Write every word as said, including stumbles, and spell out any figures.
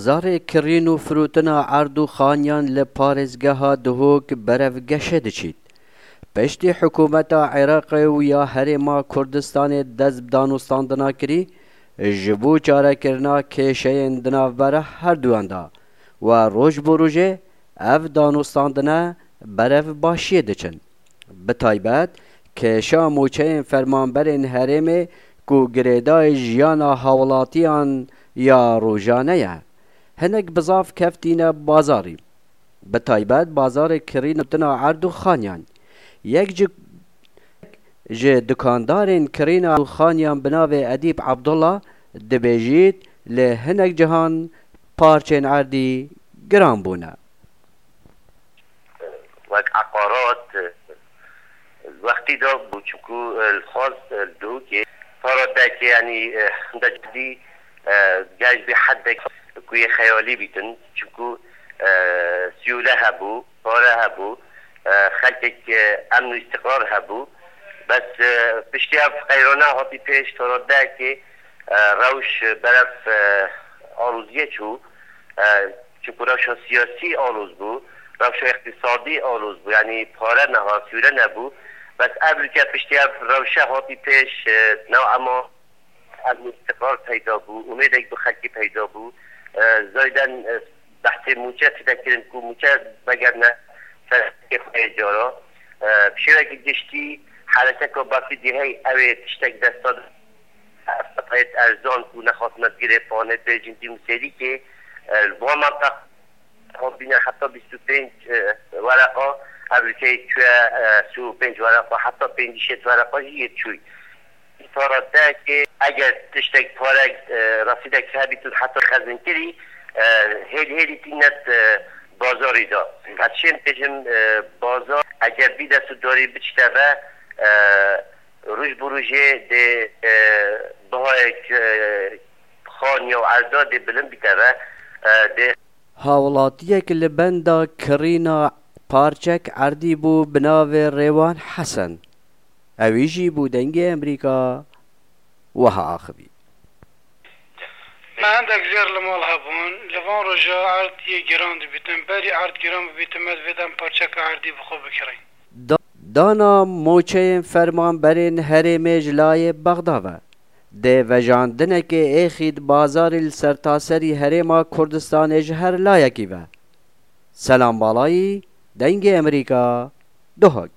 Bazarê kirîn û firotina erd û xaniyan li parêzgeha Duhok berevgeşê diçît. Piştî hikûmeta Iraqê û ya Herêma Kurdistanê dest bi danûstandina kirî, ji bo çarekirina kêşeyên di navbera herduyan de, we roj bo rojê ev danûstandine berev başiyê diçin. Bi taybet kêşa mûçeyên fermanberên herêmê ku girêdayî jiyana hawlatiyan ya rojane ye, hinek bizav keftîne bazarî. Bi taybet bazarê kirîn û tina erd û xaniyan. Yek ji, ji dukandarên kirîna û xaniyan bi navê Edîb Abdullah dibêjît, li hinek cihan parçên erdî giran bûne. Wek eqarat, e, wextî de bû, çimku, e, li xwaz, e, li Duhokê para deke, yanî, e, hinde cidî, e, gel bi heddek ku yê xeyalî bîtin, çimku, e, siyûle hebû, pare hebû, e, xelkek, e, emn û îstiqrar hebû. Bes, e, piştî ev qeyrana hatî pêş, para deke, e, rewş berev, e, aloziyê çû. E, çimku rewşa siyasî aloz bû, rewşa îqtîsadî aloz bû, yanî pare neha, sûre nebû. Bes ev li ke piştî ev rewşe hatî pêş, e, newema ev îstiqrar peyda bû, umêdek bi xelkî peyda bû. E, zayden, e, behsê mûçe tide kirin ku mûçe vegerine ser xwe yê cara. E, bi şêwekî giştî herekeka Bafîdî hey ew ê tiştek desta Ev qet heyet erzan ku nexwastine bigire panê pêjin dî û serîkê, e, li van menteq hot bîne heta bîst û pênc, e, wereqa, ev li key çûye, e, sî û pênc wereqa, heta pêncî şêst wereqa jî yê çûy. Îsara te ki eger tiştek pare, e, resîdek hebîtin heta xezinkirî, e, hêl hêlî tînet, e, bazarî de. Ez şên bêjim, e, bazar eger bî destûdarî biçite ve, e, Roj bi rojê dê, e, bihayek, e, xaniya û erda dê bilind bîte ve, e, dê. Hawlatiyek li benda kirîna parçek erdî bû bi navê Rêwan Hesen. Ewî jî bû Dengê Emerîka wiha axivî. Me hindek zêr li mal hebûn. Li van roja erd yê giran dibîtin. Berî erd giran bibîtin, me divêt em parçeka erdî bi xwe bikirîn. Da-, dana moçeyên fermanberên herêmê ji layê Bexda ve, dê vejandinekê êxî di bazarî li sertaserî herêma Kurdistanê ji her layekî ve. Selam Balayî, Dengê Emerîka, Duhok.